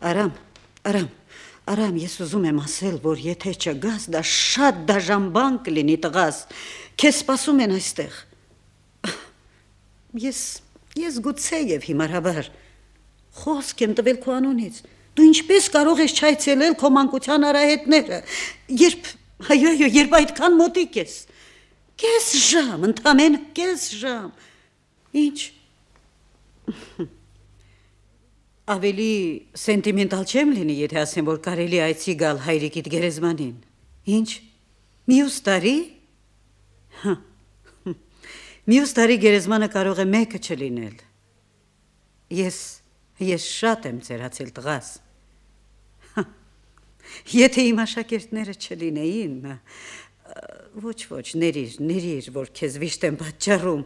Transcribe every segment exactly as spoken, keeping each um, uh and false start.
Արամ, Արամ, Արամ, ես ուզում եմ ասել, որ եթե չգաս, դա շատ դաժան բան կլինի տղաս, քեզ սպասում են այստեղ։ Ես, ես գուցե եւ հիմարաբար խոսք եմ տվել քո անունից։ Դու ինչպես կարող ես չայցելել քո մանկության արահետները, երբ, այո, այո, երբ այդքան մոտիկ ես։ Կես ժամ, ընդամենը կես ժամ։ Ինչ։ Ավելի սենտիմենտալ չեմ լինի, եթե ասեմ, որ կարելի այցի գալ հայրիկիդ գերեզմանին։ Ինչ, մյուս տարի։ Մյուս տարի գերեզմանը կարող է մեկը չլինել։ Ես, ես շատ եմ ծերացել տղաս։ Եթե իմ աշակերտները չլինեին, ոչ, ոչ, ներիր, ներիր, որ քեզ վիշտ եմ պատճառում։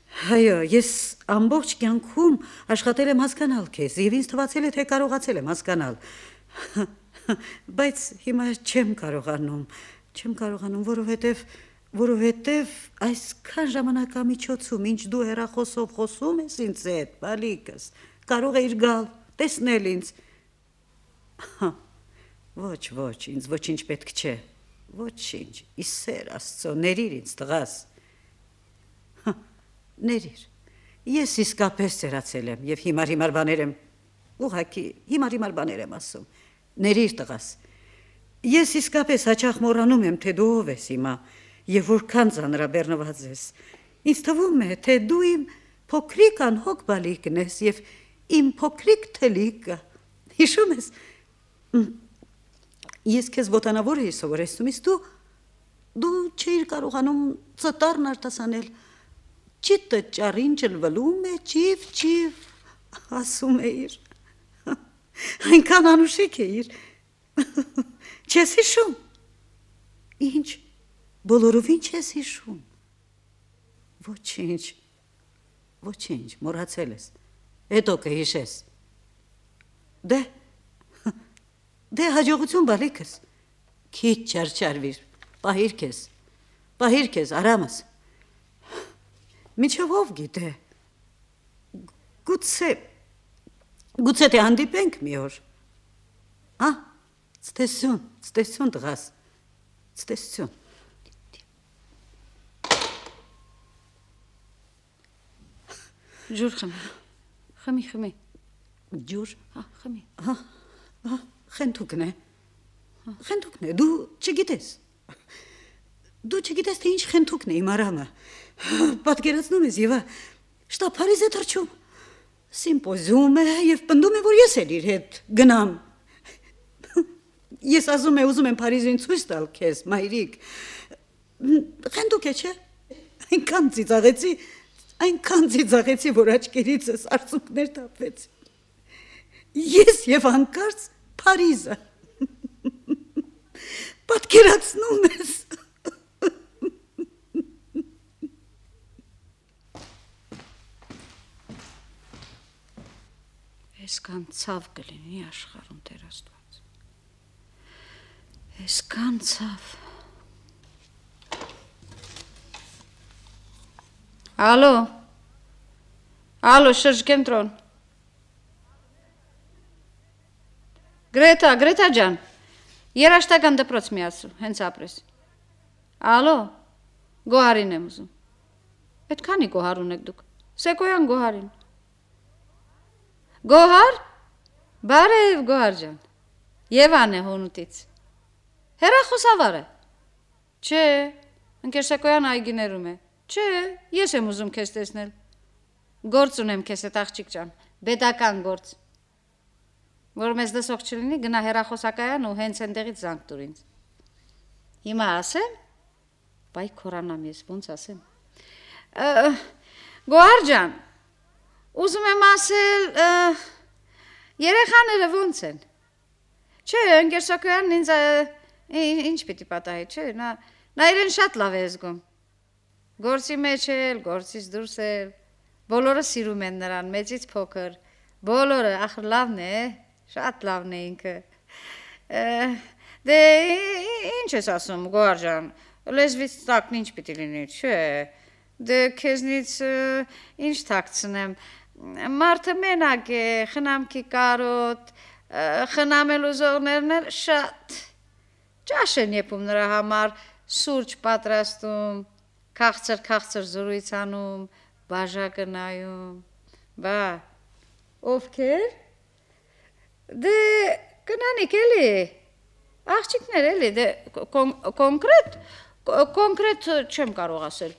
Այո, ես ամբողջ կյանքում աշխատել եմ հասկանալ քեզ, եւ ինձ թվացել է, թե կարողացել եմ հասկանալ։ Բայց հիմա չեմ կարողանում, չեմ կարողանում, որովհետեւ որովհետեւ այսքան ժամանակամիջոցում, ինչ դու հեռախոսով խոսում ես ինձ հետ, բալիկս, կարող էիր գալ, տեսնել ինձ։ Ոչ, ոչ, ինձ ոչինչ պետք չէ, ոչինչ, ի սեր Աստծո, ներիր ինձ տղաս։ Ներիր, ես իսկապես ծերացել եմ և հիմար-հիմար բաներ եմ, ուղղակի հիմար-հիմար բաներ եմ ասում, ներիր տղաս, ես իսկապես հաճախ մոռանում եմ, թե դու ով ես հիմա և որքան ծանրաբեռնված ես, ինձ թվում է, թե դու իմ փոքրիկ անհոգ բալիկն ես և իմ փոքրիկ թելիկը, հիշում ես, ես քեզ ոտանավոր էի սովորեցնում, իսկ դու, դու չէիր կարողանում ծտարն արտասանել, Չիտը ճարին ճլվլում է, ճիվ, ճիվ, ասում էիր, այնքան անուշիկ էիր, չես հիշում, ինչ, բոլորովին չես հիշում, ոչինչ, ոչինչ, մոռացել ես, հետո կհիշես, դե, դե հաջողություն բալիկս, քիչ չարչարվիր, պահիր քեզ, պահիր քեզ, Արամս, Միջով ով գիտե, գուցե, գուցե թե հանդիպենք մի օր, ա, ցտեսություն, ցտեսություն տղաս, ցտեսություն։ Ջուր խմի, խմի, խմի, ջուր, հա, խմի, հա, հա, խենթուկն է, խենթուկն է, դու չգիտես, դու չգիտես, թե ինչ խենթուկն է իմ Արամը, պատկերացնում ես Եվա, շտապարիզ է թռչում, սիմպոզիում է և պնդում է, որ ես էլ իր հետ գնամ, ես ասում է, ուզում եմ Փարիզին ցույց տալ քեզ, մայրիկ, խենթուկ է, չէ, այնքան ծիծաղեցի, այնքան ծիծաղեցի, որ աչքերիցս արցունքներ թափվեցին, ես և հանկարծ Փարիզը, պատկերացնում ես, Այսքան ցավ կլինի աշխարհում Տեր Աստված, այսքան ցավ, ալո, ալո, շրջկենտրոն, Գրետա, Գրետա ջան, երաշտական դպրոց մի ասու, հենց ապրես, ալո, Գոհարին եմ ուզում, այդ քանի Գոհար ունեք դուք, Սեկոյան Գոհարին, Գոհար, բարև Գոհար ջան, Եվան է հոնուտից, հեռախոսավար է, չէ, ընկեր Սեկոյան այգիներում է, չէ, ես եմ ուզում քեզ տեսնել, գործ ունեմ քեզ հետ աղջիկ ջան, բեդական գործ, որ մեզ դսող չլինի, գնա հեռախոսակայան ու հենց այնտեղից զանգ տուր ինձ, հիմա ասեմ, բայ քորանամ ես, ոնց ասեմ, Գոհար ջան, Ուզում եմ ասել, երեխաները ոնց են, չէ, ընկեր Սակոյանն ինձ ինչ պիտի պատահի, չէ, նա իրեն շատ լավ է զգում, գործի մեջ էլ, գործից դուրս էլ, բոլորը սիրում են նրան, մեծից փոքր, բոլորը, ախր լավն է, շատ լավն է ինքը, դե ինչ ես ասում, Գոհար ջան, լեզվից տակն ինչ պիտի լինի, չէ, դե քեզնից ինչ թաքցնեմ, Մարդը մենակ է, խնամքի կարոտ, խնամել ուզողներն էլ շատ ճաշ են եփում նրա համար, սուրճ պատրաստում, քաղցր-քաղցր զրույց անում, բաժակը նայում, բա ովքեր? Դե կնանիկ էլի, աղջիկներ էլի, դե կոնկրետ, կոնկրետ չեմ կարող ասել,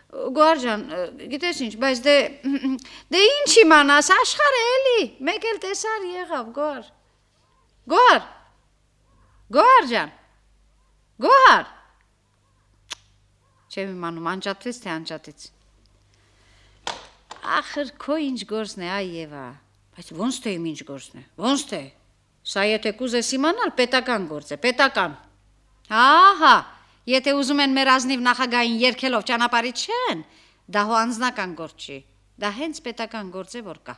Գոհար ջան, գիտես ինչ, բայց դե, դե ինչ իմանաս, աշխարհը էլի, մեկ էլ տեսար եղավ, Գոհար, Գոհար, Գոհար ջան, Գոհար, չեմ իմանում, անջատվեց թե անջատեց, ախր քո ինչ գործն է, այ Եվա, բայց ոնց թե իմ ինչ գործն է, ոնց թե, սա եթե կուզես իմանալ, պետական գործ է, պետական, ահա, եթե ուզում են մեր ազնիվ նախագահին երգելով ճանապարհից չեն, դա հո անձնական գործ չի, դա հենց պետական գործ է, որ կա.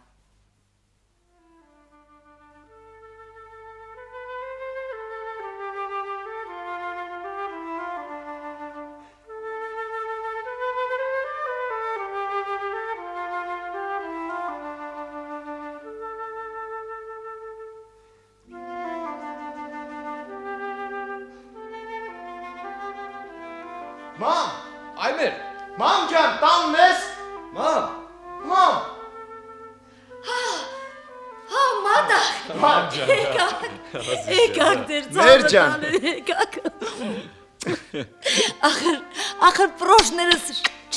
Մամ, Այմեր, մամ ջան, տանն ես։ մամ, Մամ, Հա, մադար։ մամ ջան, Եկակ, եկակ դեր Մեր ջան։ ծավը եկակ։ Ախր, ախր պրոշներս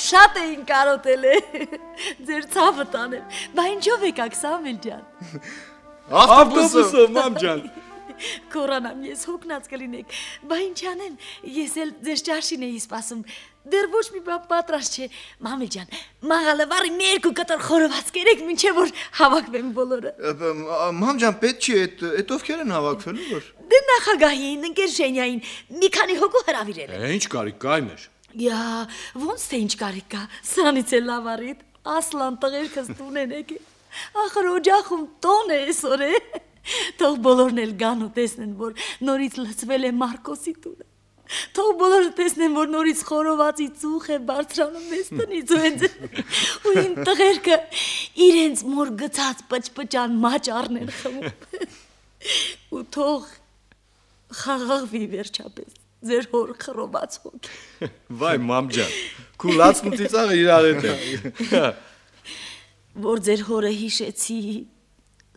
շատ էին կարոտել է, ձեր ծավը տանել, բա ինչով եկակ Սամվել ջան։ ավտոբուսով, մամ ջան, Կորանամ ես հոգնած կլինեք, բա ինչ անեմ, ես էլ ձեր ճաշին էի սպասում, դեռ ոչ մի բան պատրաստ չէ, Մամել ջան, մաղալը վարի մի երկու կտոր խորոված կերեք, մինչև որ հավաքվեն բոլորը։ Մամ ջան, պետք չի, այդ ովքեր են հավաքվելու որ։ Դե նախագահին, ընկեր Ժենյային, մի քանի հոգու հրավիրել են։ ինչ կարիք կա Այմեր, Յա, ոնց թե ինչ կարիք կա, սրանից էլ լավ արիդ, ասլան տղերքս տուն են եկել, ախր օջախում տոն է այսօր է, թող բոլորն էլ գան ու տեսնեն, որ նորից լցվել է Մարկոսի տունը, թող բոլորը տեսնեն, որ նորից խորովածի ծուխ է բարձրանում մեզ տնից ու հենց ու ին տղերքը իրենց մոր գցած պճպճան մաճարն են խմում ու թող խաղաղվի վերջապես ձեր հոր խռոված հոգի։ վայ մամ ջան, քու լացն ու ծիծաղը իրար հետ է, Որ ձեր հորը հիշեցի,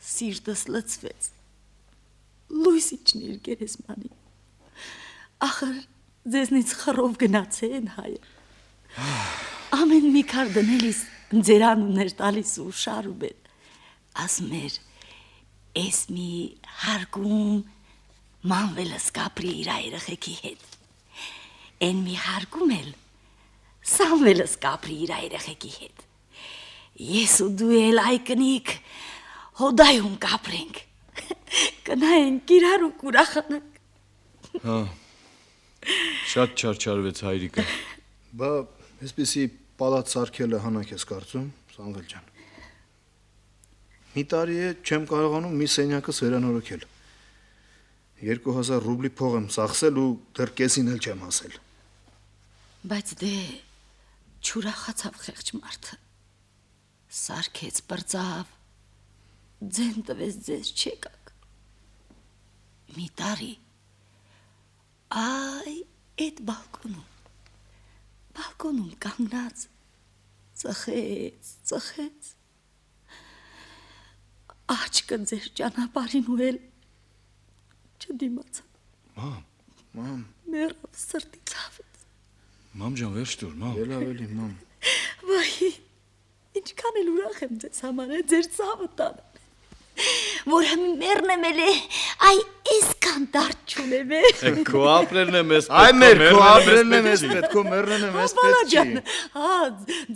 սիրտս լցվեց, լույս իջնիր գերեզմանի, ախր ձեզնից խռով գնացեն հայը, ամեն մի քար դնելիս ձեր անուններ տալիս ու շարում են, ասում էր, ես մի հարգում մանվելս կապրի իր երեխեքի հետ, են մի հարգում էլ Սամվելս կապրի իր երեխեքի հետ, ես ու դու էլ այ կնիկ հոդայում կապրենք, կնայենք իրար ու կուրախանանք։ հա, շատ չարչարվեց հայրիկը, Բա, այսպեսի պալատ սարքելը հանակ ես կարծում, Սամվել ջան։ Մի տարի է չեմ կարողանում մի սենյակս վերանորոգել։ Երկու հազար ռուբլի փող եմ ծախսել ու դեռ կեսին էլ չեմ հասել։ Բայց դե չուրախացավ խեղճ մարդը, սարքեց բրծավ, ձեն տվեց ձեզ չեկակ, մի տարի, այ էդ բալկոնում, բալկոնում կանգնած, ծխեց, ծխեց, աչկը ձեր ճանապարհին ու էլ չդիմացա, Մամ, մամ, մեռավ սրտի ցավից, մամ ջան վերջ տուր, մամ, էլ ավելի մամ։ վայ, ինչքան էլ ուրախ եմ ձեզ համար է, ձեր ցավը տանը, որ մեռնեմ էլ է, այ այսքան դարդ չունեմ է, քո ապրելն է մեզ Այ մեր քո մեռնելն ապրելն է է մեզ մեզ պետք, քո մեռնելն է մեզ Բալա պետք ջան, չի։ հա,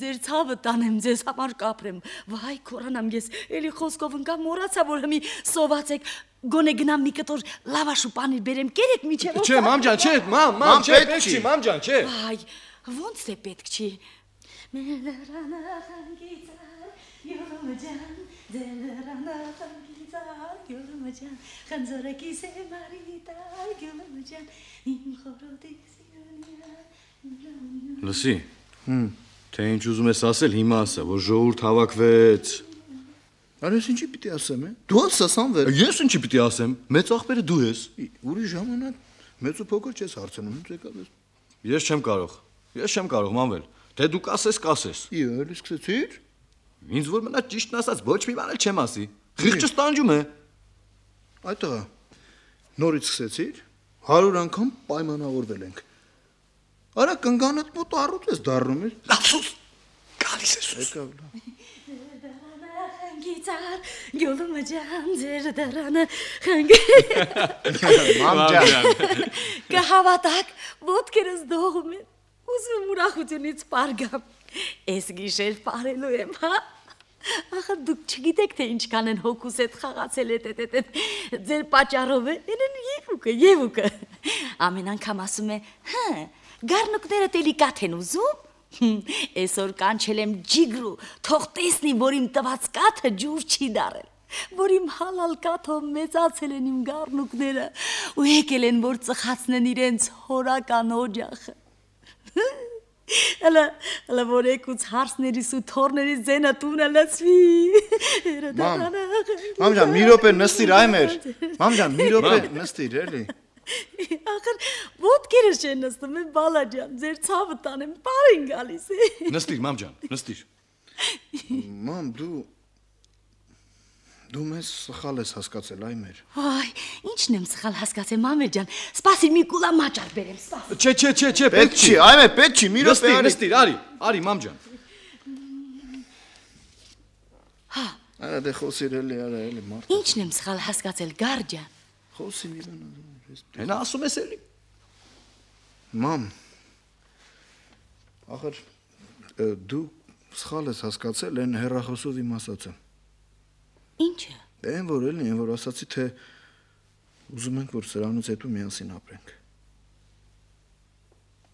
ձեր ցավը տանեմ, ձեզ համար կապրեմ, վայ կորանամ ես, էլի խոսքով ընկա մոռացա, որ հմի սոված եք, գոնե գնամ մի կտոր լավաշ ու պանիր բերեմ, կերեք միջև Չէ, մամ ջան, չէ, մամ, Մամ, մամ, չէ, պետք պետք չի։ չի, մամ ջան, չէ։ Վայ, ոնց է պետք չի։ Լսի, թե ինչ ուզում ես ասել, հիմա ասա, որ ժողովուրդ հավաքվեց։ Արես ինչի պիտի ասեմ, է։ Դու ասա Սամվել։ Ես ինչի պիտի ասեմ։ Մեծ աղբերը դու ես։ Ուրիշ ժամանակ մեծ ու փոքր չես հարցնում, ինչ եկավ ես։ Ես չեմ կարող։ Ես չեմ կարող, Մանվել։ Թե դու կասես, կասես։ Իո, էլի սկսեցիր։ Ինձ որ մնա ճիշտն ասած ոչ մի բան էլ չեմ ասի։ Խիղճս տանջում է։ Այդ տղա, նորից սկսեցիր, հարյուր անգամ պայմանավորվել ենք։ Արա կնգանդ մոտ առուտ ես դառնում ես։ Լավսուս։ Գալիս ես։ Եկավ լավ։ Գիտար, գոլումը ջան, ձեր դրանը Մամ ջան։ կհավատակ, ոտքերս դողում են, ուզում ուրախությունից պարգամ, ես գիշեր պարելու եմ, հա? Ախր դուք չգիտեք, թե ինչքան են հոգուս հետ խաղացել էտ էտ էտ ձեր պատճառով է, են եվուկը, եվուկը, ամեն անգամ ասում է, հը, գառնուկները տելի կաթ են ուզում, Այսօր կանչել եմ ջիգրու, թող տեսնի, որ իմ տված կաթը ջուր չի դարել, որ իմ հալալ կաթով մեծացել են իմ գառնուկները ու եկել են, որ ծխացնեն իրենց հորական օջախը։ Հələ, հələ որ եկուց հարսներիս ու թորներիս ձենը տունը լծվի։ Մամ, մամ ջան, մի րոպե նստիր այ մեր։ Մամ ջան, մի րոպե նստիր, էլի։ Ախր ոտքերս չեն նստում, է բալա ջան, ձեր ցավը տանեմ, բարին գալիս է։ Նստիր, մամ ջան, նստիր։ Մամ, դու դու մեզ սխալ ես հասկացել այ մեր։ Այ, ինչն եմ սխալ հասկացել, մամեր ջան, սպասիր մի կուլա մաճար բերեմ, սպասիր։ Չէ, չէ, չէ, չէ, Պետք չի, այ մեր պետք չի, մի րոպե արի։ Նստիր, արի, արի, մամ ջան։ Հա։ Արա դե խոսիր էլի, արա էլի մարդ։ Ինչն եմ սխալ հասկացել, գար ջան։ Խոսի մի բան։ Հենա ասում ես էլի։ Մամ, ախր դու սխալ ես հասկացել են հեռախոսով իմ ասածը։ Ինչը։ Դե են որ էլի, են որ ասացի, թե ուզում ենք, որ սրանից հետո միասին ապրենք։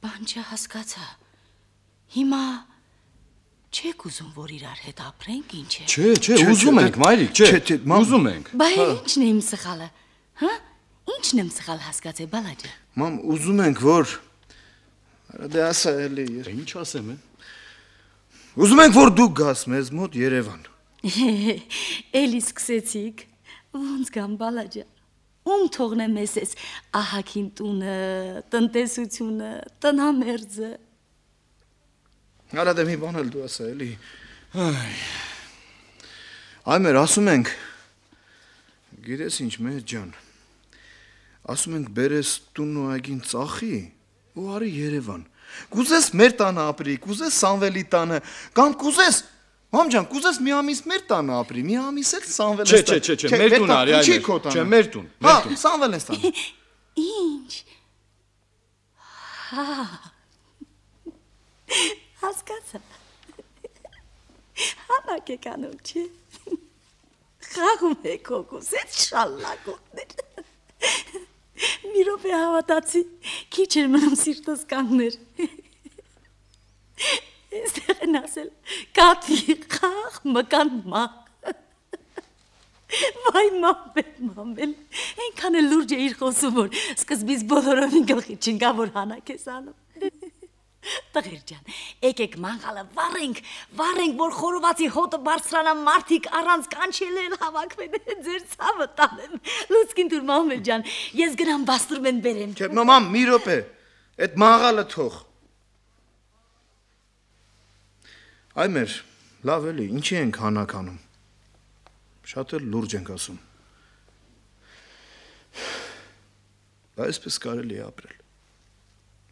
Բան չհասկացա։ Հիմա չեք ուզում, որ իրար հետ ապրենք, ինչ է։ Չէ, չէ, ուզում ենք, մայրիկ, չէ, ուզում ենք։ Բայ ինչն է իմ սխալը, հա? Ինչն եմ սխալ հասկացել, բալա ջան։ Մամ, ուզում ենք, որ Արա դե ասա էլի։ Ինչ ասեմ, է։ Ուզում ենք, որ դու գաս մեզ մոտ Երևան։ Էլի սկսեցիք, ոնց գամ բալա ջան։ Ում թողնեմ ես ես ահագին տունը, տնտեսությունը, տնամերձը։ Արա դե մի բան էլ դու ասա էլի։ Այ մեր ասում ենք, գիտես ինչ մեր ջան, ասում ենք բերես տունն ու այգին ծախի ու արի Երևան։ Կուզես մեր տանը ապրի, կուզես Սամվելի տանը, կամ կուզես, մամ ջան, կուզես մի ամիս մեր տանը ապրի, մի ամիս էլ Սամվելը Չէ, չէ, չէ, չէ, մեր տուն արի այ մեր։ Չէ, մեր տուն, մեր տուն։ Հա, Սամվելն ստան։ Ինչ։ Հա։ Հասկացա։ Հանակ եք անում, չէ։ Խաղում եք հոգուս, էդ շալլակոտներ։ Մի րոպե հավատացի, քիչ էր մնում սիրտս կանգներ։ Էստեղ են ասել, կատվի խաղ մկան մաղ։ Վայ մամբել, մամբել, ենքան է լուրջ է իր խոսում, որ սկզբից բոլորովին գլխի չնկա, որ հանակ ես անում։ Տղեր ջան, եկեք մանգալը վառենք, վառենք, որ խորովածի հոտը բարձրանա մարդիկ առանց կանչել են հավաքվեն, ձեր ցավը տանեմ։ Լուցկին դուր մամել ջան, ես գնամ բաստուրմեն բերեմ։ Չէ, մամ, մի րոպե, այդ մաղալը թող։ Այ մեր, լավ էլի, ինչի ենք հանակ անում։ Շատ էլ լուրջ ենք ասում։ Այսպես կարելի է ապրել։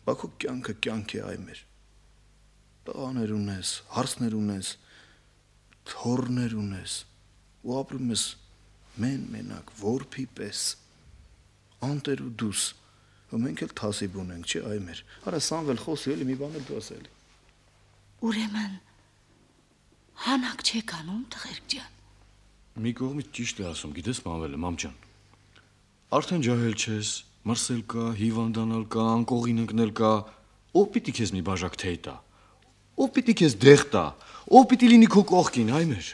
Բաքու կյանքը կյանք է այ մեր։ Տղաներ ունես, հարսներ ունես, թորներ ունես, ու ապրում ես մեն մենակ, որփի պես, անտեր ու դուս, ու մենք էլ թասիբ ունենք, չէ այ մեր։ Արա Սամվել խոսի էլի մի բան էլ դու ասելի։ Ուրեմն, հանակ չեք անում, տղերք ջան։ Մի կողմից ճիշտ է ասում, գիտես Մանվելը, մամ ջան։ Արդեն ջահել չես, մրսել կա, հիվանդանալ կա, անկողին ընկնել կա, ով պիտի քեզ մի բաժակ թեյ տա, ով պիտի քեզ դեղ տա, ով պիտի լինի քո կողքին, այ մեր։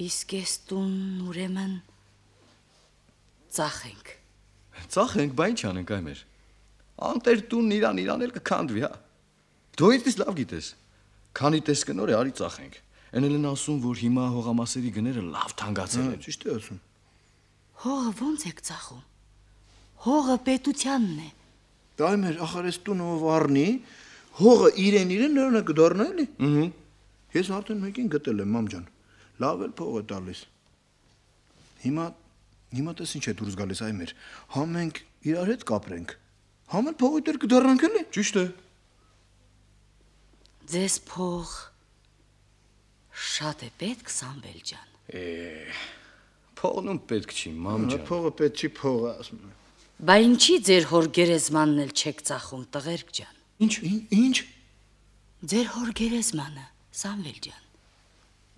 Իսկ ես տուն ուրեմն ծախենք։ Ծախենք, բա ինչ անենք այ մեր։ Անտեր տունն իրան իրան էլ կքանդվի, հա։ Դու ինձ լավ գիտես։ Քանի տես կնոր է արի ծախենք։ Էնել են ասում, որ հիմա հողամասերի գները լավ թանկացել են։ Ճիշտ է ասում։ Հողը ո՞նց եք ծախում։ Հողը պետությանն է։ Դա մեր ախար էս տունը ով առնի, հողը իրեն իրեն նրան կդառնա էլի։ Ահա։ Ես արդեն մեկին գտել եմ, մամ ջան։ Լավ էլ փող է տալիս։ Հիմա հիմա տես ինչ է դուրս գալիս այ մեր։ Հա մենք իրար հետ կապրենք։ Համ էլ փողի դեր կդառնանք էլի։ Ճիշտ է։ Ձեզ փող շատ է պետք, Սամվել ջան։ Է, փողն պետք չի, մամ ջան։ Փողը պետք չի, փողը ասում եմ։ Բա ինչի ձեր հոր գերեզմանն էլ չեք ծախում, տղերք ջան։ Ինչ, ինչ։ Ձեր հոր գերեզմանը, Սամվել ջան,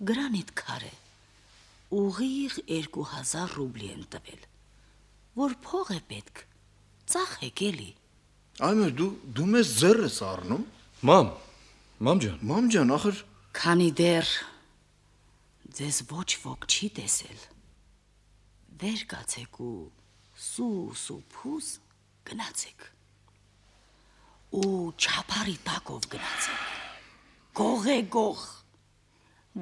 գրանիտ քարե, ուղիղ երկու հազար ռուբլի են տվել, որ փող է պետք, ծախեք էլի։ Այմեր դու դու մեզ ձեռ ես առնում։ Մամ, մամ ջան։ Մամ ջան, ախր Քանի դեռ ձեզ ոչ ոք չի տեսել, վեր կացեք ու սուս ու փուս գնացեք։ Ու չափարի տակով գնացեք, գող է գող,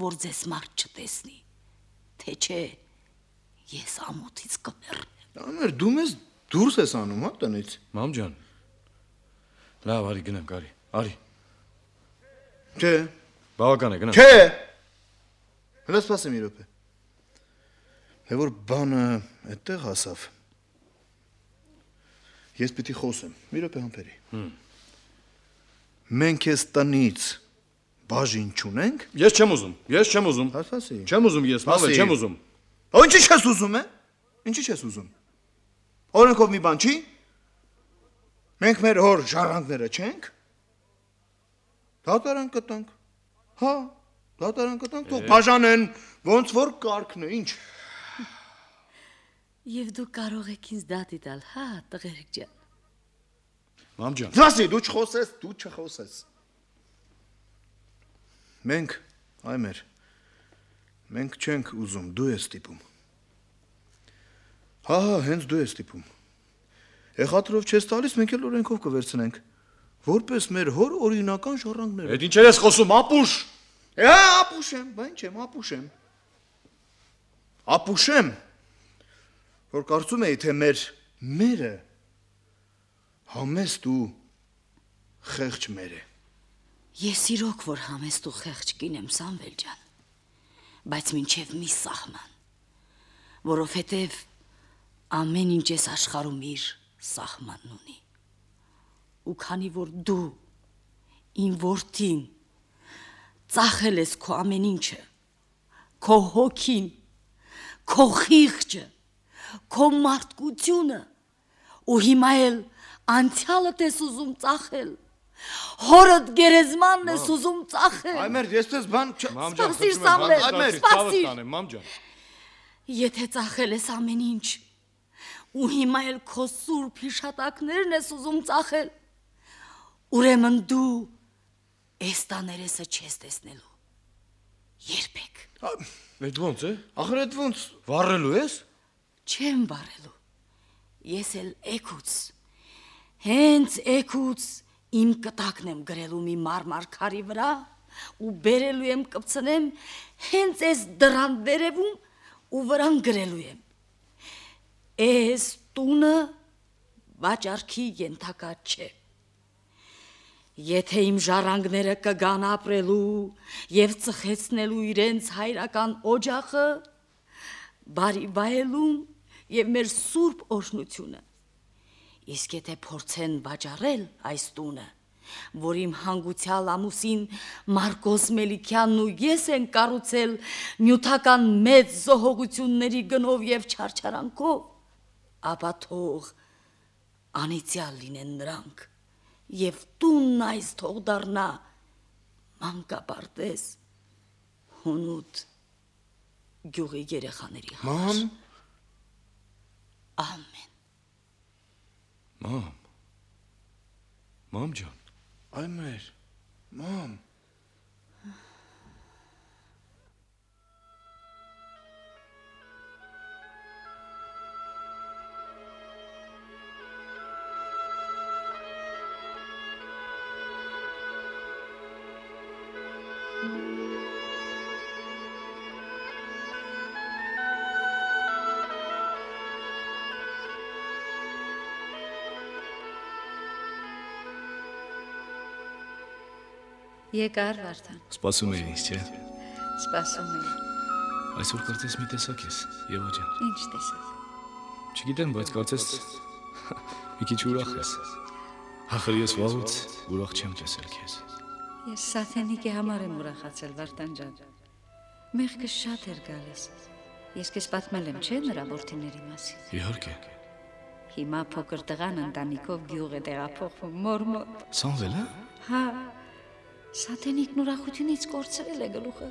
որ ձեզ մարդ չտեսնի, թե չէ ես ամոթից կմեռնեմ։ Այմեր դու մեզ դուրս ես անում, հա տնից։ Մամ ջան։ Լավ, արի գնանք, արի, արի։ Չէ։ Բավական է, գնանք։ Չէ։ Հələ սպասեմ մի րոպե։ Թե որ բանը այդտեղ հասավ։ Ես պիտի խոսեմ։ Մի րոպե համբերի։ Մենք ես տնից բաժին չունենք։ Ես չեմ ուզում, ես չեմ ուզում։ Ասացի։ Չեմ ուզում ես, մամ, չեմ ուզում։ Ո ինչի՞ չես ուզում, է։ Ինչի՞ չես ուզում։ Օրենքով մի բան չի։ Մենք մեր հոր ժառանգները չենք։ Դատարան կտանք։ Հա, դատարան կտանք, թող բաժանեն, ոնց որ կարգն է, ինչ։ Եվ դու կարող եք ինձ դատի տալ, հա, տղերք ջան։ Մամ ջան։ Դասի, դու չխոսես, դու չխոսես։ Մենք, այմեր, մենք չենք ուզում, դու ես ստիպում։ Հա, հա, հենց դու ես ստիպում։ Եղատրով չես տալիս, մենք էլ օրենքով կվերցնենք, որպես մեր հոր օրինական ժառանգները։ Այդ ինչեր ես խոսում, ապուշ։ Հա, ապուշեմ, բա ինչ եմ, ապուշեմ։ Ապուշեմ, որ կարծում էի, թե մեր մերը համեստ ու խեղճ մեր է։ Ես իրոք որ համեստ ու խեղճ կին եմ, Սամվել ջան, բայց մինչև մի սահման, որովհետև ամեն ինչ ես աշխարհում իր սահմանն ունի։ Ու քանի որ դու իմ որդին ծախել ես քո ամեն ինչը, քո հոգին, քո խիղճը, քո մարդկությունը, ու հիմա էլ անցյալդ ես ուզում ծախել, հորդ գերեզմանն ես ուզում ծախել։ Այմեր, ես տես բան չ... Սպասիր, Սամվել, սպասիր։ Մամ ջան։ Եթե ծախել ես ամեն ինչ, ու հիմա էլ քո սուրբ հիշատակներն ես ուզում ծախել, ուրեմն դու այս տաներեսը չես տեսնելու։ Երբեք։ Այդ ո՞նց է։ Ախր այդ ոնց։ Վառելու ես։ Չեմ վառելու։ Ես էլ էքուց, հենց էքուց իմ կտակն եմ գրելու մի մարմար քարի վրա ու բերելու եմ կպցնեմ հենց այս դրան վերևում ու վրան գրելու եմ։ Այս տունը վաճառքի ենթակա չէ։ Եթե իմ ժառանգները կգան ապրելու եւ ծխեցնելու իրենց հայրական օջախը, բարի վայելում եւ մեր սուրբ օրհնությունը, իսկ եթե փորձեն վաճառել այս տունը, որ իմ հանգուցյալ ամուսին Մարկոս Մելիքյանն ու ես են կառուցել նյութական մեծ զոհողությունների գնով եւ չարչարանքով, ապա թող անիծյալ լինեն նրանք եւ տունն այս թող դառնա մանկապարտեզ հունուտ գյուղի երեխաների համար։ Մամ, ամեն։ Մամ։ Մամ ջան։ այմեր, մամ։ Եկար Վարդան, Սպասում էի ինձ, չէ։ սպասում եմ։ Այսօր կարծես մի տեսակ ես, Եվա ջան։ Ինչ տեսած։ Չգիտեմ, բայց կարծես մի քիչ ուրախ ես։ Ախր ես վաղուց ուրախ չեմ տեսել քեզ։ Ես Սաթենիկի համար եմ ուրախացել Վարդան ջան։ Մեղքը շատ էր գալիս։ Ես քեզ պատմել եմ, չէ՞ նրա որդիների մասին։ Իհարկե։ Հիմա փոքր տղան ընտանիքով գյուղ է տեղափոխվում մոր մոտ։ Սամվել, հա։ Հա։ Սաթենիկն ուրախությունից կորցրել է գլուխը։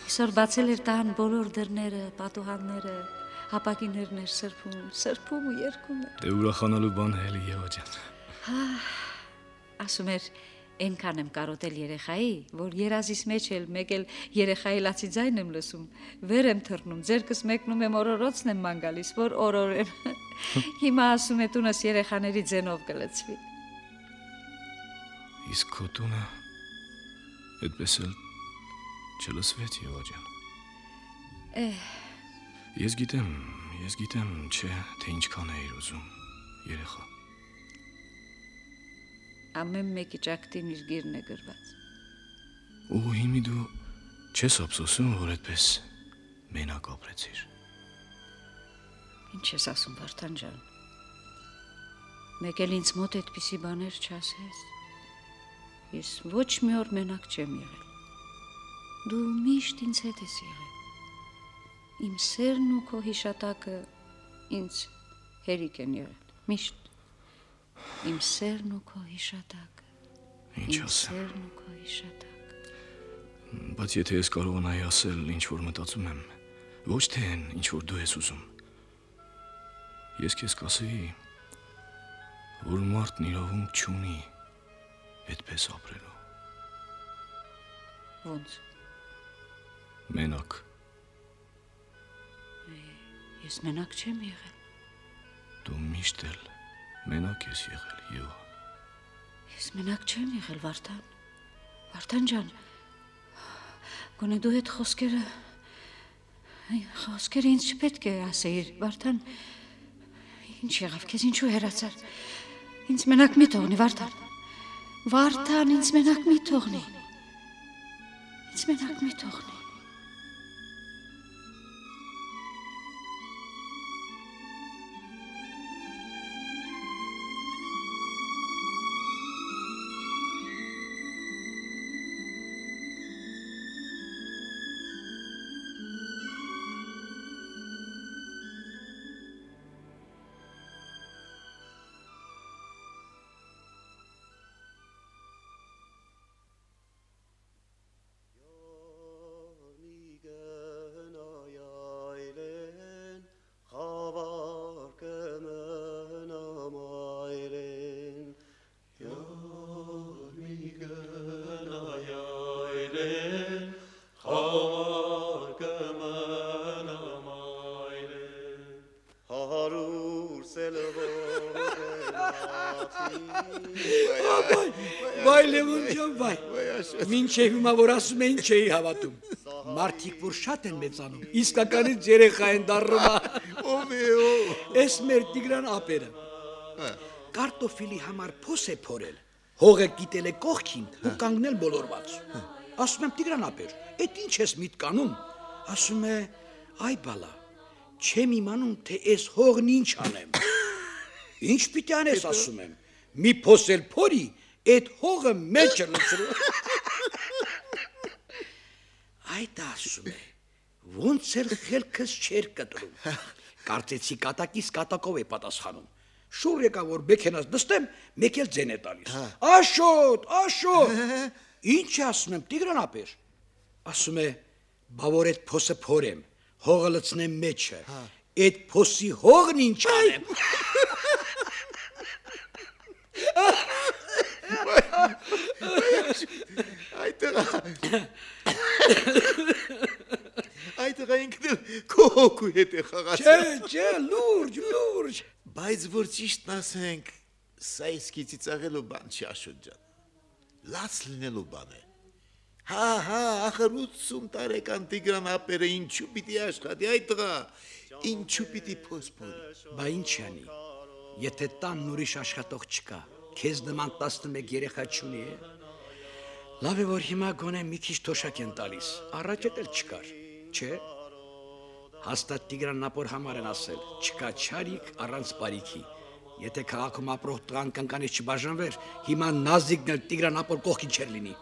Այսօր բացել էր տան բոլոր դռները, պատուհանները, հապակիներն էր սրբում, սրբում ու երգում էր։ Դե ուրախանալու բան է էլի, Եվա ջան։ Հա։ Ասում էր, այնքան եմ կարոտել երեխայի, որ երազիս մեջ էլ մեկ էլ երեխայի լացի ձայն եմ լսում, վեր եմ թռնում, ձերքս մեկնում եմ օրորոցն եմ ման գալիս, որ օրորեմ։ Հիմա ասում է տունս երեխաների ձենով կլցվի։ Իսկ քո տունը այդպես էլ չլսվեց, Եվա ջան։ Էհ, Ես գիտեմ, ես գիտեմ, չէ, թե ինչքան էիր ուզում, երեխա։ ամեն մեկի ճակտին իր գիրն է գրված։ Ու հիմի դու չես ափսոսում, որ այդպես մենակ ապրեցիր։ Ինչ ես ասում, Վարդան ջան։ Մեկ էլ ինձ մոտ այդպիսի բաներ չասես։ Ես ոչ մի օր մենակ չեմ եղել։ Դու միշտ ինձ հետ ես եղել։ Իմ սերն ու քո հիշատակը ինձ հերիք են եղել։ Միշտ։ Իմ սերն ու քո հիշատակը։ Ինչ Իմ ասեմ։ սերն ու քո հիշատակը։ Բայց եթե ես կարողանայի ասել, ինչ որ մտածում եմ, ոչ թե այն, ինչ որ դու ես ուզում, ես քեզ կասեի, որ մարդն իրավունք չունի այդպես ապրելու։ Ոնց։ Մենակ։ Ես մենակ չեմ եղել։ Դու միշտ էլ մենակ ես եղել, Եվա։ Ես մենակ չեմ եղել, Վարդան։ Վարդան ջան, գոնե դու այդ խոսքերը խոսքերը ինձ չպետք է ասեիր, Վարդան։ Ինչ եղավ քեզ, ինչու հեռացար։ Ինձ մենակ մի թողնի, Վարդան։ Վարդան, ինձ մենակ մի թողնի։ Ինձ մենակ մի թողնի։ Վայ Լևոն ջան, վայ։ Մինչև հիմա որ ասում էին չէի հավատում։ Մարդիկ որ շատ են մեծանում, իսկականից երեխա են դառնում։ Ով է ով։ Էս մեր Տիգրան ապերը։ Կարտոֆիլի համար փոս է փորել։ Հողը կիտել է կողքին ու կանգնել բոլորված։ Ասում եմ Տիգրան ապեր, այդ ինչ ես միտկանում։ Ասում է, այ բալա, չեմ իմանում, թե այս հողն ինչ անեմ։ Ինչ պիտի անես, ասում եմ։ Մի փոս էլ փորի, այդ հողը մեջ լցրու։ Այդ ասում է, ոնց էլ խելքս չեր կտրում։ Կարծեցի կատակից կատակով է պատասխանում։ Շուռ եկա որ մեքենաս նստեմ, մեկ էլ ձեն է տալիս։ Աշոտ, աշոտ։ Ինչ ասում եմ, Տիգրան ապեր։ Ասում է, բա որ այդ փոսը փորեմ, հողը լցնեմ մեջը։ Այդ փոսի հողն ինչ անեմ։ Այդտեղա Այդտեղա ինքն քո հոգու հետ է խաղացել։ Չէ, չէ, լուրջ, լուրջ։ Բայց որ ճիշտն ասենք, սա իսկի ծիծաղելու բան չի, Աշոտ ջան։ Լաց լինելու բան է։ Հա, հա, ախր ութսուն տարեկան Տիգրան ապերը ինչու պիտի աշխատի, այդտեղա, ինչու պիտի փոսփորի։ Բա ինչ անի։ Եթե տանն ուրիշ աշխատող չկա, քեզ նման տասնմեկ երեխա չունի է։ Լավ է որ հիմա գոնե մի քիչ թոշակ են տալիս։ Առաջ էլ չկար, չէ՞։ Հաստատ Տիգրան Ապոր համար են ասել, չկա չարիք առանց բարիքի։ Եթե քաղաքում ապրող տղան կնկանից չբաժանվեր, հիմա Նազիկն էլ Տիգրան Ապոր կողքին չէր լինի։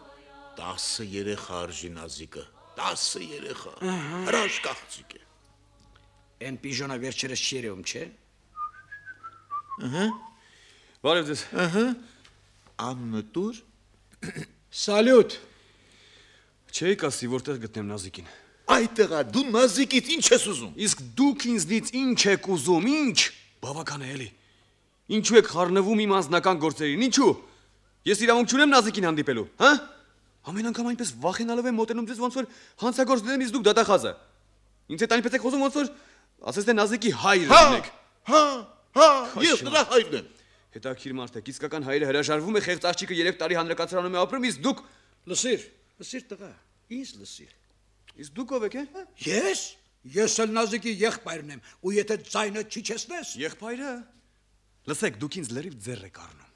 տասը երեխա արժի Նազիկը, տասը երեխա, հրաշք աղջիկ է։ Էն պիժոնը վերջերս չի երևում, չէ՞։ Ահա։ Բարև ձեզ։ Ահա։ Աննը տուր։ Սալյուտ։ Չէի կասի որտեղ գտնեմ Նազիկին։ Այդտեղա դու Նազիկից ինչ ես ուզում։ Իսկ դուք ինձնից ինչ եք ուզում, ինչ։ Բավական է էլի։ Ինչու եք խառնվում իմ անձնական գործերին, ինչու։ Ես իրավունք չունեմ Նազիկին հանդիպելու, հա։ Ամեն անգամ այնպես վախենալով եմ մոտենում ձեզ ոնց որ հանցագործ դեմ իսկ դուք դատախազը։ Ինձ հետ այնպես եք խոսում ոնց որ ասես թե Նազիկի հայրը լինեք։ Հա, հա, ես նրա հայրն եմ։ Հետաքրիր մարդ եք, իսկական հայրը հրաժարվում է խեղծ աղջիկը երեք տարի հանրակացարանում է ապրում, իսկ դուք Լսիր, լսիր տղա, ինձ լսիր։ իսկ դուք ով եք, հա։ Ես, ես էլ Նազիկի եղբայրն եմ, ու եթե ձայնը չիջեցնես, Եղբայրը։ Լսեք, դուք ինձ լրիվ ձեռ եք առնում։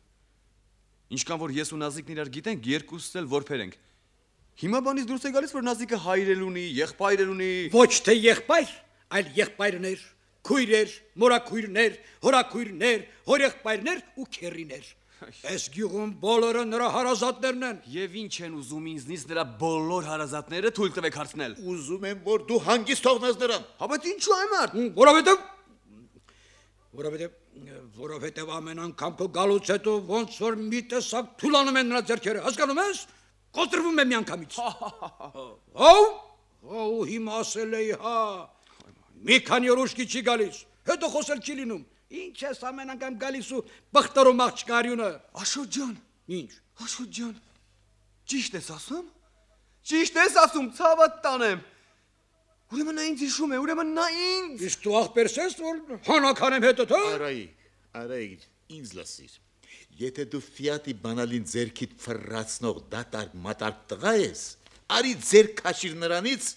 Ինչքան որ ես ու Նազիկն իրար գիտենք, երկուսս էլ որբեր ենք։ Հիմա բանից դուրս է գալիս, որ Նազիկը հայր էլ ունի, եղբայր էլ ունի։ ոչ թե եղբայր, այլ եղբայրներ, քույրեր, մորաքույրներ, հորաքույրներ, հորեղբայրներ ու քեռիներ։ Այս գյուղում բոլորը նրա հարազատներն են։ Եվ ինչ են ուզում ինձնից նրա բոլոր հարազատները թույլ տվեք հարցնել։ Ուզում եմ որ դու հանգիստ թողնես նրան։ Հա բայց ինչու այ մարդ։ Որովհետև որովհետև որովհետև ամեն անգամ քո գալուց հետո ոնց որ մի տեսակ թուլանում են նրա ձեռքերը, հասկանում ես։ Կոտրվում է միանգամից։ Հո, հո, հիմա ասել էի, հա։ Մի քանի օր ուշքի չի գալիս, հետո խոսել չի լինում։ Ինչ ես ամեն անգամ գալիս ու բխտարում աղջկա արյունը։ Աշոտ ջան, Ինչ։ Աշոտ ջան, ճիշտ ես ասում։ Ճիշտ ես ասում, ցավդ տանեմ։ Ուրեմն նա ինձ հիշում է, ուրեմն նա ինձ։ Իսկ դու ախպերս ես, որ հանականեմ հետդ, հա։ Արայիկ, արայիկ, ինձ լսիր։ Եթե դու Ֆիատի բանալին ձերքիդ ֆռացնող դատարկ մատարկ տղա ես, արի ձեր քաշիր նրանից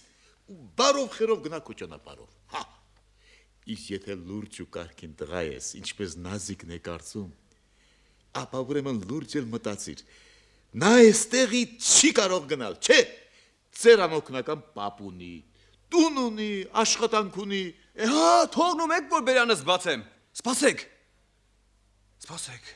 ու բարով խերով գնա քո ճանապարհով։ Հա։ Իսկ եթե լուրջ ու կարգին տղա ես, ինչպես Նազիկն է կարծում, ապա ուրեմն լուրջ էլ մտածիր։ Նա այստեղի չի կարող գնալ, չէ։ Ձեր անօգնական պապ ունի, տուն ունի, աշխատանք ունի։ Հա, թողնում եք որ բերանս բացեմ։ Սպասեք։ Սպասեք։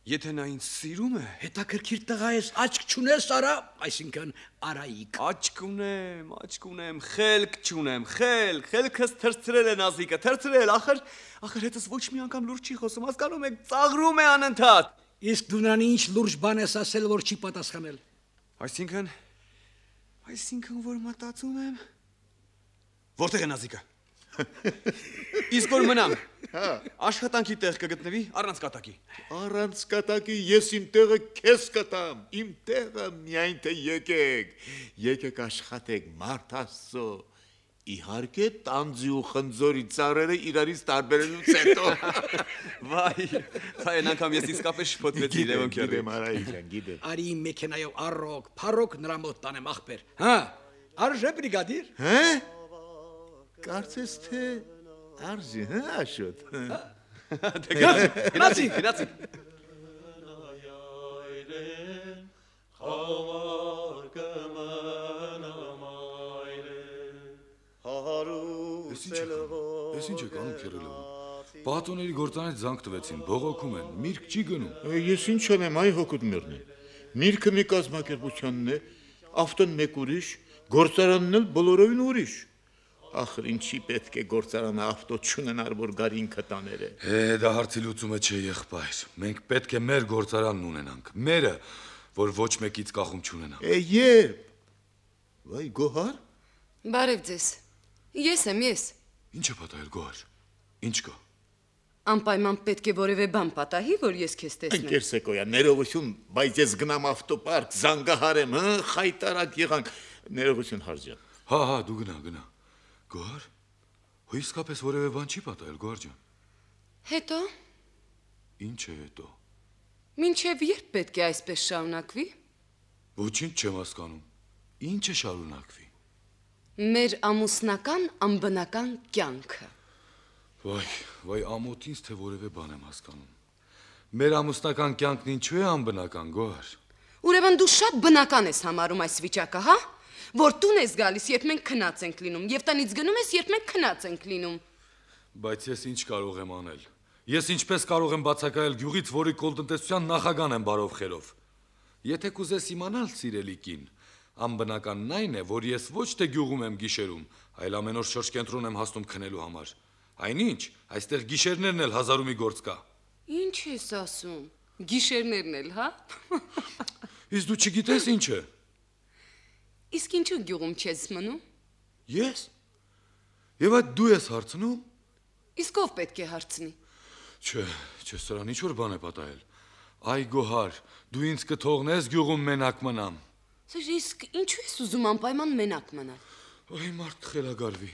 Եթե նա ինձ սիրում է, Հետաքրքիր տղա ես, աչք չունես, արա, այսինքն Արայիկ։ աչք ունեմ, աչք ունեմ, խելք չունեմ, խելք, խելքս թրցրել է Նազիկը, թրցրել, ախր, ախր հետս ոչ մի անգամ լուրջ չի խոսում, հասկանում եք, ծաղրում է անընդհատ։ Իսկ դու նրան ինչ լուրջ բան ես ասել, որ չի պատասխանել։ Այսինքն, այսինքն որ մտածում եմ, որտեղ է Նազիկը։ Իսկ որ մնամ, աշխատանքի տեղ կգտնվի առանց կատակի։ Առանց կատակի ես իմ տեղը քեզ կտամ, իմ տեղը միայն թե եկեք, եկեք աշխատեք մարդ Աստծո, իհարկե տանձի ու խնձորի ծառերը իրարից տարբերելուց հետո։ Վայ, այն անգամ ես իսկապես շփոթվեցի Լևոն քեռի։ Գիտեմ, Արայիկ ջան, գիտեմ։ Արի իմ մեքենայով առոք, փառոք նրա մոտ տանեմ ախպեր։ Հա, արժե բրիգադիր։ Հա։ Կարծես թե արժի, հա, Աշոտ։ Գնացի, գնացի։ Ես ինչ եք անում քերելով։ Պահատոների գործանից զանգ տվեցին, բողոքում են, միրգ չի գնում։ Ես ինչ անեմ, այ հոգուտ մեռնի։ Միրգը մի կազմակերպությունն է, ավտոն մեկ ուրիշ, գործարանն էլ բոլորովին ուրիշ։ Ախր ինչի պետք է գործարանը ավտո չունենար, որ գարին կտաները։ Է, դա հարցի լուծումը չէ, եղբայր։ Մենք պետք է մեր գործարանն ունենանք, մերը, որ ոչ մեկից կախում չունենա։ Է, երբ։ Վայ, Գոհար։ Բարև ձեզ։ Ես եմ, ես։ Ինչ է պատահել, Գոհար։ Ինչ կա։ Անպայման պետք է որևէ բան պատահի, որ ես քեզ տեսնեմ։ Ընկեր Սեկոյա, ներողություն, բայց ես գնամ ավտոպարկ, զանգահարեմ, հա, խայտարակ եղանք, ներողություն Հարջան։ Հա, հա, դու գնա, գնա։ Գոհար, հո իսկապես որևէ բան չի պատահել, Գոհար ջան։ Հետո, Ինչ է հետո։ մինչև երբ պետք է այսպես շարունակվի։ Ոչինչ չեմ հասկանում։ Ինչ է շարունակվի։ Մեր ամուսնական անբնական կյանքը։ Վայ, վայ, ամոթ ինձ թե որևէ բան եմ հասկանում։ Մեր ամուսնական կյանքն ինչու է անբնական, Գոհար։ Ուրեմն դու շատ բնական ես համարում այս վիճակը, հա? Որ տուն ես գալիս, երբ մենք քնած ենք լինում, եւ տնից գնում ես, երբ մենք քնած ենք լինում։ Բայց ես ինչ կարող եմ անել։ Ես ինչպես կարող եմ բացակայել գյուղից, որի կոլտնտեսության նախագահն եմ բարով խերով։ Եթե կուզես իմանալ, սիրելի կին, անբնականն այն է, որ ես ոչ թե գյուղում եմ գիշերում, այլ ամեն օր շրջկենտրոն եմ հասնում քնելու համար։ Այնինչ, այստեղ գիշերներն էլ հազարումի գործ կա։ Ինչ ես ասում։ Գիշերներն էլ, հա? Իսկ դու չգիտես ինչ է։ Իսկ ինչու գյուղում չես մնում։ Ես։ Եվ այդ դու ես հարցնում։ Իսկ ով պետք է հարցնի։ Չէ, չէ, սրան ինչ որ բան է պատահել։ Այ Գոհար, դու ինձ կթողնես գյուղում մենակ մնամ։ Իսկ ինչու ես ուզում անպայման մենակ մնալ։ Այ մարդ խելագարվի։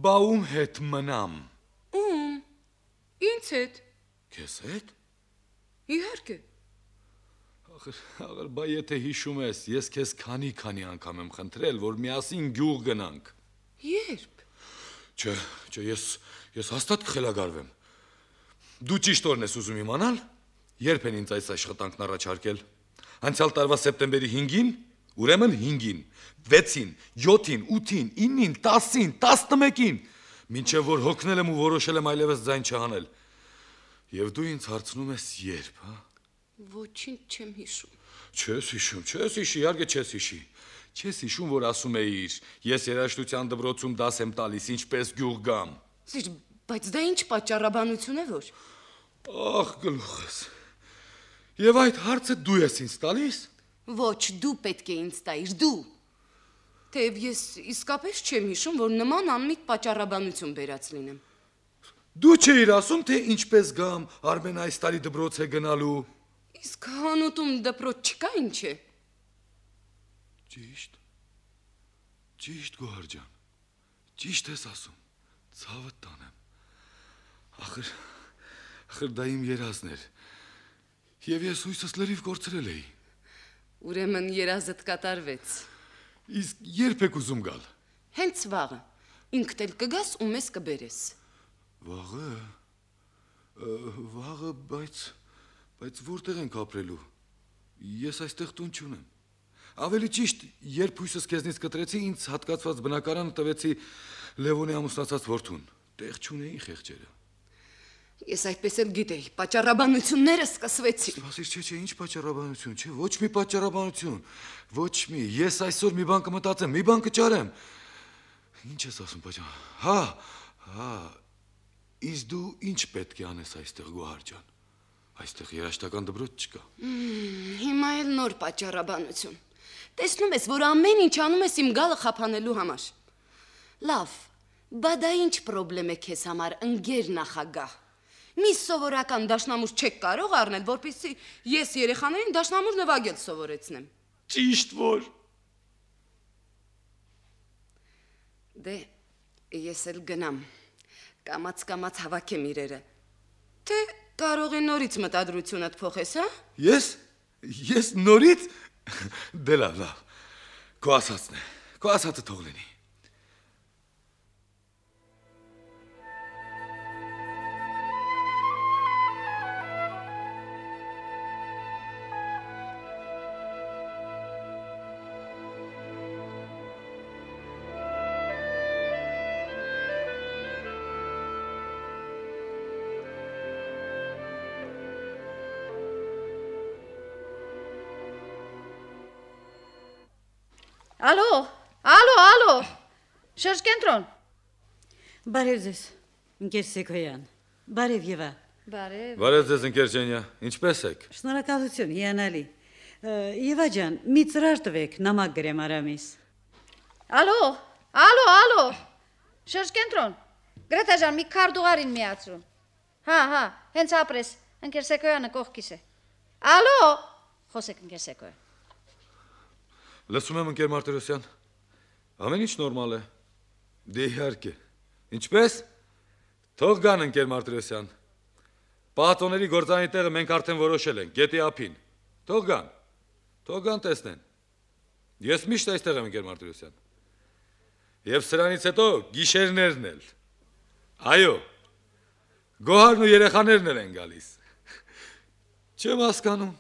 Բա ում հետ մնամ։ Ում։ Ինձ հետ։ Քեզ հետ։ Իհարկե։ Ախր, ախր, բա եթե հիշում ես, ես քեզ քանի-քանի անգամ եմ խնդրել, որ միասին գյուղ գնանք։ Երբ։ Չէ, չէ, ես ես հաստատ կխելագարվեմ։ Դու ճիշտ օրն ես ուզում իմանալ, երբ են ինձ այս աշխատանքն առաջարկել։ Անցյալ տարվա սեպտեմբերի հինգին, ուրեմն հինգին, վեցին, յոթին, ութին, իննին, տասին, տասնմեկին, մինչև որ հոգնել եմ ու որոշել եմ այլևս ձայն չհանել։ Եվ դու ինձ հարցնում ես երբ, հա։ Ոչինչ չեմ հիշում։ Չես հիշում, չես հիշի, իհարկե չես հիշի։ Չես հիշում, որ ասում էիր, ես երաժշտության դպրոցում դաս եմ տալիս, ինչպես գյուղ գամ։ Սիր, բայց դա ինչ պատճառաբանություն է որ։ Ախ, գլուխս։ Եվ այդ հարցը դու ես ինձ տալիս։ Ոչ, դու պետք է ինձ տայիր, դու։ Թեև ես իսկապես չեմ հիշում, որ նման անմիտ պատճառաբանություն բերած լինեմ։ Դու չէիր ասում, թե ինչպես գամ, Արմեն այս տարի դպրոց է գնալու։ Իսկ հանուտում դպրոց չկա ինչ է։ Ճիշտ։ Ճիշտ Գոհար ջան։ Ճիշտ ես ասում։ Ցավը տանեմ։ Ախր, ախր դա իմ երազն էր։ Եվ ես հույսս լրիվ կորցրել էի։ Ուրեմն երազդ կատարվեց։ Իսկ երբ եք ուզում գալ։ Հենց վաղը։ Ինքդ էլ կգաս ու մեզ կբերես։ Վաղը։ Վաղը, բայց բայց որտեղ ենք ապրելու։ Ես այստեղ տուն չունեմ։ Ավելի ճիշտ, երբ հույսս քեզնից կտրեցի, ինձ հատկացված բնակարանը տվեցի Լևոնի ամուսնացած որդուն։ Տեղ չունեի խեղճերը։ Ես այդպես էլ գիտեի, պատճառաբանությունները սկսվեցին։ Սպասիր, չէ, չէ, ինչ պատճառաբանություն, չէ, ոչ մի պատճառաբանություն, ոչ մի, ես այսօր մի բան կմտածեմ, մի բան կճարեմ։ Ինչ ես ասում, պատճառ։ Հա, հա, իսկ դու ինչ պետք է անես այստեղ Գոհար ջան։ Այստեղ երաժշտական դպրոց չկա։ Հիմա էլ նոր պատճառաբանություն։ Տեսնում ես, որ ամեն ինչ անում ես իմ գալը խափանելու համար։ Լավ, բա դա ինչ խնդրեմ է քեզ համար, ընկեր նախագահ։ Մի սովորական դաշնամուր չեք կարող առնել, որպեսզի ես երեխաներին դաշնամուր նվագել սովորեցնեմ։ Ճիշտ որ։ Դե, ես էլ գնամ։ Կամաց-կամաց հավաքեմ իրերը։ Թե կարող է նորից մտադրությունդ փոխես, հա։ Ես, ես նորից։ Դե լավ, լավ։ Քո ասածն է։ Քո ասածը թող լինի։ Ալո, ալո, ալո, շրջկենտրոն։ Բարև ձեզ, ընկեր Սեգոյան, բարև Եվա։ Բարև։ Բարև ձեզ ընկեր Ջենյա, ինչպես եք։ Շնորհակալություն, հիանալի։ Եվա ջան, մի ծրար տվեք, նամակ գրեմ Արամիս։ Ալո, ալո, ալո, շրջկենտրոն։ Գրեթե ջան, մի քարտուղարին միացրու։ Հա, հա, հենց ապրես, ընկեր Սեգոյանը կողքիս է։ Ալո, խոսեք ընկեր Սեգոյան։ Լսում եմ ընկեր Մարտիրոսյան։ Ամեն ինչ նորմալ է։ Դե իհարկե։ Ինչպես։ Թող գան ընկեր Մարտիրոսյան։ Պահատոների գործանի տեղը մենք արդեն որոշել ենք, գետի ափին։ Թող գան։ Թող գան տեսնեն։ Ես միշտ այստեղ եմ ընկեր Մարտիրոսյան։ Եվ սրանից հետո գիշերներն էլ։ Այո։ Գոհարն ու երեխաներն էլ են գալիս։ Չեմ հասկանում։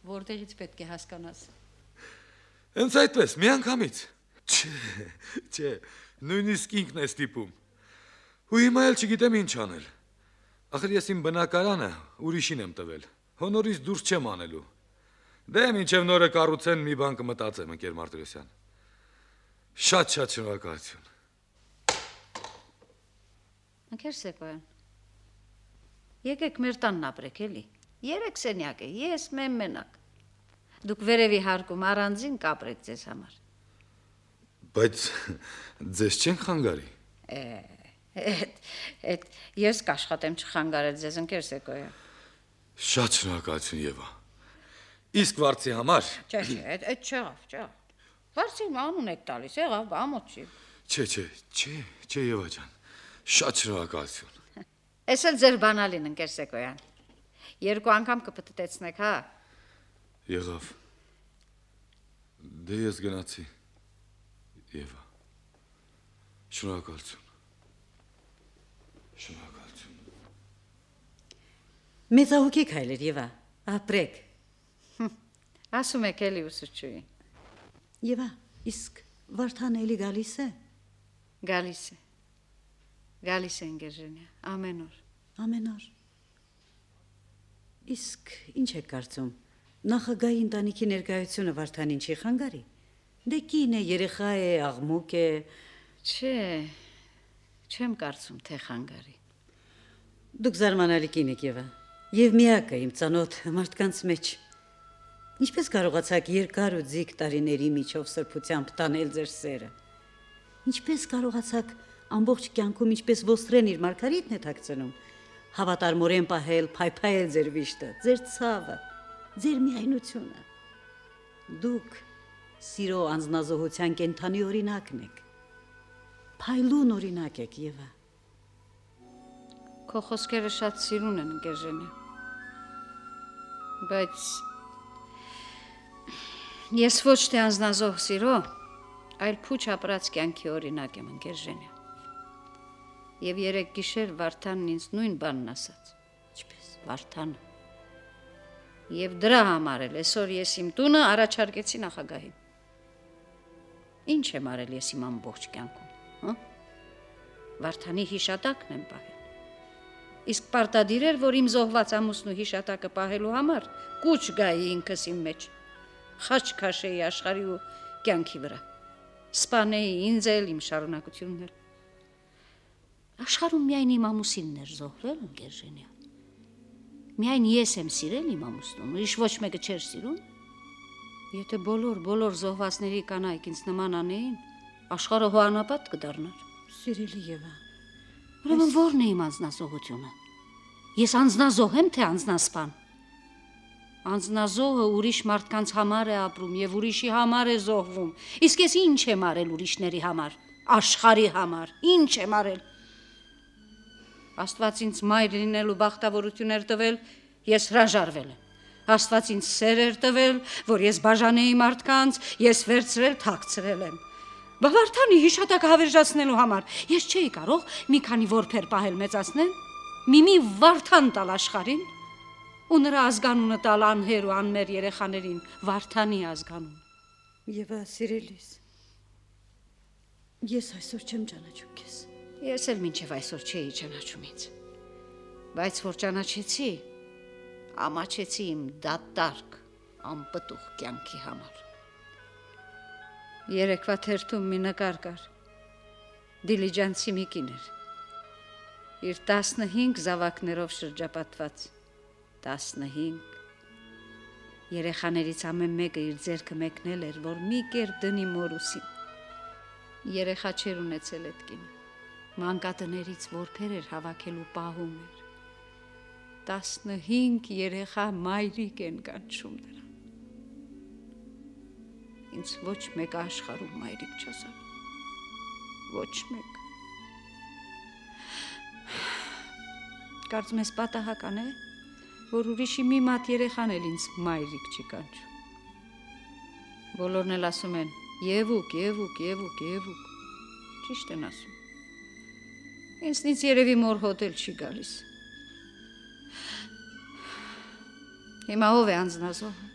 որտեղից պետք է հասկանաս։ Հենց այդպես, մի անգամից։ Չէ, չէ, նույնիսկ ինքն է ստիպում։ Ու հիմա էլ չգիտեմ ինչ անել։ Ախր ես իմ բնակարանը ուրիշին եմ տվել։ Հոնորից դուրս չեմ անելու։ Դե մինչև նորը կառուցեն մի բան կմտածեմ, ընկեր Մարտիրոսյան։ Շատ-շատ շնորհակալություն։ Ընկեր Սեկոյան, եկեք մեր տանն ապրեք էլի։ Երեք սենյակ է, ես մեմ մենակ։ Դուք վերևի հարկում առանձին կապրեք ձեզ համար։ Բայց ձեզ չեն խանգարի։ Էդ, էդ, ես կաշխատեմ չխանգարել ձեզ, ընկեր Սեկոյան։ Շատ շնորհակալություն, Եվա։ Իսկ վարձի համար։ Չէ, չէ, այդ այդ չեղավ, չեղավ։ Վարձի անուն եք տալիս, եղավ, ամոթ չի։ Չէ, չէ, չէ, չէ, Եվա ջան։ Շատ շնորհակալություն։ Էս էլ ձեր բանալին, ընկեր Սեկոյան։ Երկու անգամ կպտտեցնեք, հա։ Եղավ։ Դե ես գնացի։ Եվա։ Շնորհակալություն։ Շնորհակալություն։ Մեծահոգեք հայրեր Եվա, ապրեք։ Ասում եք էլի ուսուցչուի։ Եվա, իսկ Վարդան էլի գալիս է։ Գալիս է։ Գալիս է ընկերժենյա, ամեն օր։ Ամեն օր։ Իսկ ինչ եք կարծում, նախագահի ընտանիքի ներկայությունը Վարդանին չի խանգարի։ Դե կին է, երեխա է, աղմուկ է։ Չէ, չեմ կարծում, թե խանգարի։ Դուք զարմանալի կին եք Եվա, եւ միակը իմ ծանոթ մարդկանց մեջ։ Ինչպես կարողացաք երկար ու ձիգ տարիների միջով սրբությամբ տանել ձեր սերը։ Ինչպես կարողացաք ամբողջ կյանքում ինչպես ոստրեն իր Մարգարիտն է թաքցնում, հավատարմորեն պահել, փայփայել ձեր վիշտը, ձեր ցավը, ձեր միայնությունը։ Դուք սիրո անznազողության կենթանի օրինակն եք։ Փայլուն օրինակ եք, Եվա։ Քո խոսքերը շատ սիրուն են, ընկերժենյա։ Բայց ես ոչ թե անznազող սիրո, այլ փուչ ապրած կյանքի օրինակ եմ, ընկերժենյա։ Եվ երեք գիշեր Վարդանն ինձ նույն բանն ասաց։ Ինչպես Վարդանը։ Եվ դրա համար էլ այսօր ես իմ տունը առաջարկեցի նախագահին։ Ինչ եմ արել ես իմ ամբողջ կյանքում, հա? Վարդանի հիշատակն եմ պահել։ Իսկ պարտադիր էր, որ իմ զոհված ամուսնու հիշատակը պահելու համար կուչ գայի ինքս իմ մեջ, խաչ քաշեի աշխարհի ու կյանքի վրա, սպանեի ինձ էլ, իմ շարունակությունն էլ։ Աշխարհում միայն իմ ամուսինն էր զոհվել, ընկերժենյա։ Միայն ես եմ սիրել իմ ամուսնուն, ուրիշ ոչ մեկը չէր սիրում։ Եթե բոլոր բոլոր զոհվածների կանայք ինձ նման անեին, աշխարհը հոանապատ կդառնար։ Սիրելի Եվա։ Ուրեմն ո՞րն է իմ անձնազոհությունը։ Ես անձնազոհ եմ, թե անձնասպան։ Անձնազոհը ուրիշ մարդկանց համար է ապրում եւ ուրիշի համար է զոհվում։ Իսկ ես ինչ եմ արել ուրիշների համար, աշխարհի համար, ինչ եմ արել։ Աստված ինձ մայր լինելու բախտավորություն էր տվել, ես հրաժարվել եմ։ Աստված ինձ սեր էր տվել, որ ես բաժանեի մարդկանց, ես վերցրել թաքցրել եմ։ Վարդանի հիշատակը հավերժացնելու համար ես չէի կարող մի քանի որբեր պահել մեծացնել, մի-մի Վարդան տալ աշխարհին ու նրա ազգանունը տալ անհեր ու անմեր երեխաներին, Վարդանի ազգանուն։ Եվա, սիրելիս, ես այսօր չեմ ճանաչում քեզ։ Ես էլ մինչև այսօր չէի ճանաչում ինձ։ Բայց որ ճանաչեցի, ամաչեցի իմ դատարկ, անպտուղ կյանքի համար։ Երեկվա թերթում մի նկար կար, դիլիջանցի մի կին էր, իր տասնհինգ զավակներով շրջապատված, տասնհինգ, երեխաներից ամեն մեկը իր ձեռքը մեկնել էր, որ մի կեր դնի մորուսին, երեխա չեր ունեցել էդ կինը, մանկատներից որբեր էր հավաքելու պահում էր, տասնհինգ երեխա մայրիկ են կանչում նրան։ Ինձ ոչ մեկ աշխարհում մայրիկ չասավ, ոչ մեկ։ Կարծում ես պատահական է, որ ուրիշի մի մատ երեխան էլ ինձ մայրիկ չի կանչում։ Բոլորն էլ ասում են Եվուկ, Եվուկ, Եվուկ, Եվուկ, ճիշտ են ասում։ Ինձնից երևի մոր հոտ էլ չի գալիս։ Հիմա ով է անձնազոհը։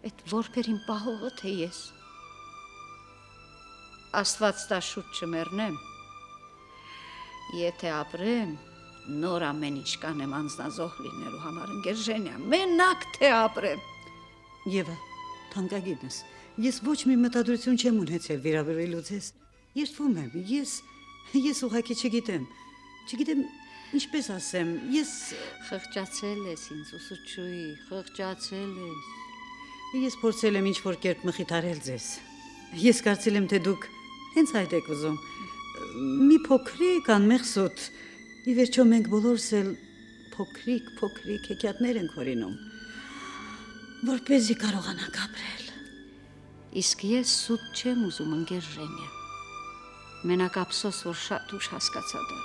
Այդ որբերին պահողը թե ես։ Աստված տա շուտ չմեռնեմ։ Եթե ապրեմ, նոր ամեն ինչ կանեմ անձնազոհ լինելու համար ընկեր Ժենյա, մենակ թե ապրեմ։ Եվա, թանկագինս, ես ոչ մի մտադրություն չեմ ունեցել վիրավորելու ձեզ։ Երդվում եմ, ես ես ուղղակի չգիտեմ։ Չգիտեմ ինչպես ասեմ, ես խղճացել ես ինձ ուսուցչուհի, խղճացել ես։ Ես փորձել եմ ինչ-որ կերպ մխիթարել ձեզ։ Ես կարծել եմ, թե դուք հենց այդ եք ուզում։ Մի փոքրիկ անմեղսոտ, ի վերջո մենք բոլորս էլ փոքրիկ, փոքրիկ հեքիաթներ ենք հորինում, որպեսզի կարողանանք ապրել։ Իսկ ես սուտ չեմ ուզում ընկեր Ժենյա։ Մենակ ափսոս, որ շատ ուշ հասկացա դա։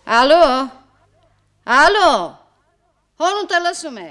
Ալո, ալո, հոնուտը լսում է։